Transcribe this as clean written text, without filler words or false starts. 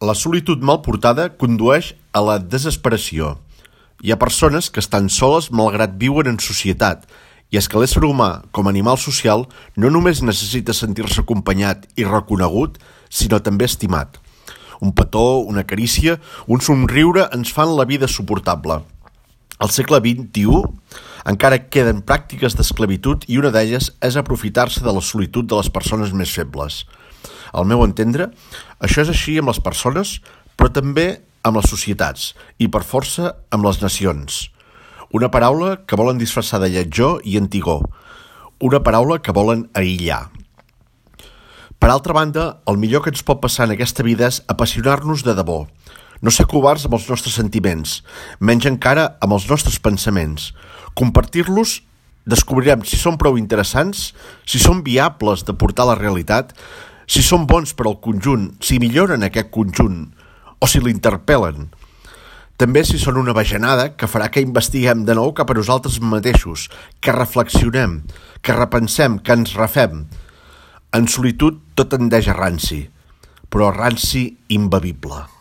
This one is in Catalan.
La solitud mal portada condueix a la desesperació. Hi ha persones que estan soles malgrat viuen en societat, i és que l'ésser humà, com a animal social, no només necessita sentir-se acompanyat i reconegut, sinó també estimat. Un petó, una carícia, un somriure ens fan la vida suportable. Al segle XXI encara queden pràctiques d'esclavitud i una d'elles és aprofitar-se de la solitud de les persones més febles. Al meu entendre, això és així amb les persones, però també amb les societats i, per força, amb les nacions. Una paraula que volen disfressar de lletjor i antigor. Una paraula que volen aïllar. Per altra banda, el millor que ens pot passar en aquesta vida és apassionar-nos de debò. No ser covards amb els nostres sentiments, menys encara amb els nostres pensaments. Compartir-los, descobrirem si són prou interessants, si són viables de portar a la realitat, si són bons per al conjunt, si milloren aquest conjunt, o si l'interpel·len. També si són una bajanada que farà que investiguem de nou cap a nosaltres mateixos, que reflexionem, que repensem, que ens refem. En solitud tot tendeix a ranci, però ranci imbevible.